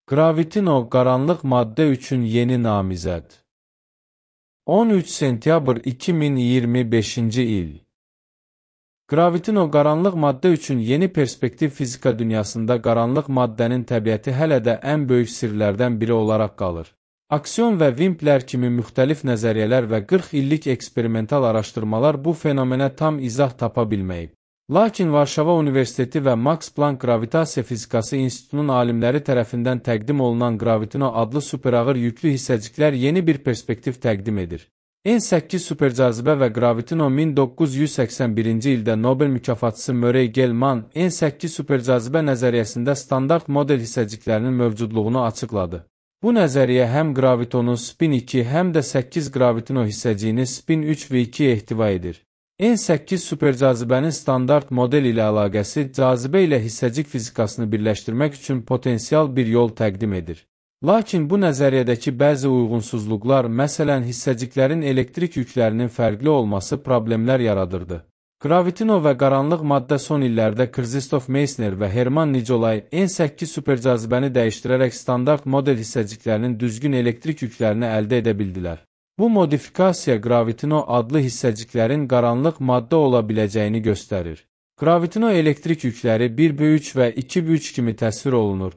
Gravitino qaranlıq maddə üçün yeni namizəd. 13 sentyabr 2025-ci il. Gravitino qaranlıq maddə üçün yeni perspektiv fizika dünyasında qaranlıq maddənin təbiəti hələ də ən böyük sirlərdən biri olaraq qalır. Aksiyon və Wimpler kimi müxtəlif nəzəriyyələr və 40 illik eksperimental araşdırmalar bu fenomenə tam izah tapa bilməyib. Lakin Varşava Universiteti və Max Planck Gravitasiya Fizikası İnstitutunun alimləri tərəfindən təqdim olunan Gravitino adlı superağır yüklü hissəciklər yeni bir perspektiv təqdim edir. N8 supercazibə və Gravitino 1981-ci ildə Nobel mükafatçısı Murray Gell-Mann N8 supercazibə nəzəriyyəsində standart model hissəciklərinin mövcudluğunu açıqladı. Bu nəzəriyyə həm gravitonun spin 2, həm də 8 gravitino hissəciyini spin 3 və 2 ehtiva edir. N8 supercazibənin standart model ilə əlaqəsi cazibə ilə hissəcik fizikasını birləşdirmək üçün potensial bir yol təqdim edir. Lakin bu nəzəriyyədəki bəzi uyğunsuzluqlar, məsələn hissəciklərin elektrik yüklərinin fərqli olması problemlər yaradırdı. Gravitino və qaranlıq maddə son illərdə Krzysztof Meissner və Hermann Nicolay N8 supercazibəni dəyişdirərək standart model hissəciklərinin düzgün elektrik yüklərini əldə edə bildilər. Bu modifikasiya Gravitino adlı hissəciklərin qaranlıq maddə ola biləcəyini göstərir. Gravitino elektrik yükləri 1/3 və 2/3 kimi təsvir olunur.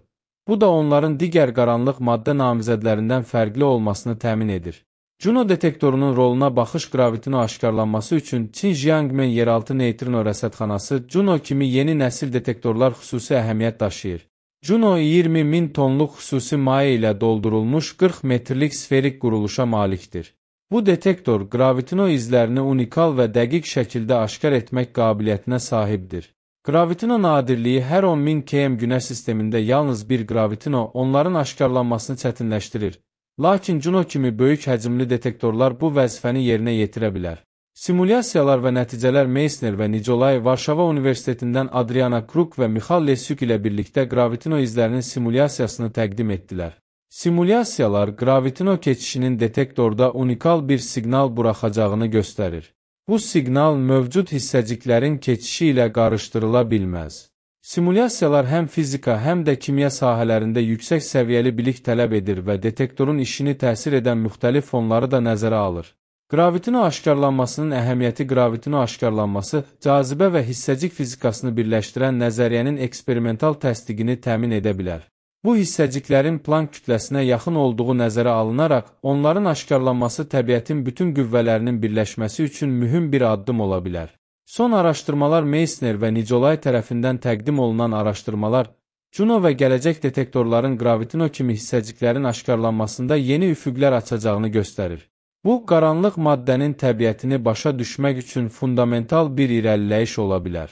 Bu da onların digər qaranlıq maddə namizədlərindən fərqli olmasını təmin edir. Juno detektorunun roluna baxış Gravitino aşkarlanması üçün Çin Jiangmen yeraltı neytrino rəsədxanası Juno kimi yeni nəsil detektorlar xüsusi əhəmiyyət daşıyır. Juno 20.000 tonluq xüsusi maye ilə doldurulmuş 40 metrlik sferik quruluşa malikdir. Bu detektor Gravitino izlərini unikal və dəqiq şəkildə aşkar etmək qabiliyyətinə sahibdir. Gravitino nadirliyi hər 10.000 km Günəş sistemində yalnız bir Gravitino onların aşkarlanmasını çətinləşdirir. Lakin Juno kimi böyük həcmli detektorlar bu vəzifəni yerinə yetirə bilər. Simulyasiyalar və nəticələr Meissner və Nicolay Varşava Universitetindən Adriana Kruk və Michal Lesyuk ilə birlikdə Gravitino izlərinin simulyasiyasını təqdim etdilər. Simulyasiyalar Gravitino keçişinin detektorda unikal bir siqnal buraxacağını göstərir. Bu siqnal mövcud hissəciklərin keçişi ilə qarışdırıla bilməz. Simulyasiyalar həm fizika, həm də kimya sahələrində yüksək səviyyəli bilik tələb edir və detektorun işini təsir edən müxtəlif fonları da nəzərə alır. Gravitino aşkarlanmasının əhəmiyyəti Gravitino aşkarlanması, cazibə və hissəcik fizikasını birləşdirən nəzəriyyənin eksperimental təsdiqini təmin edə bilər. Bu hissəciklərin Planck kütləsinə yaxın olduğu nəzərə alınaraq, onların aşkarlanması təbiətin bütün qüvvələrinin birləşməsi üçün mühüm bir addım ola bilər. Son araşdırmalar Meissner və Nicolay tərəfindən təqdim olunan araşdırmalar, Juno və gələcək detektorların Gravitino kimi hissəciklərin aşkarlanmasında yeni üfüqlər açacağını göstərir. Bu, qaranlıq maddənin təbiətini başa düşmək üçün fundamental bir irəliləyiş ola bilər.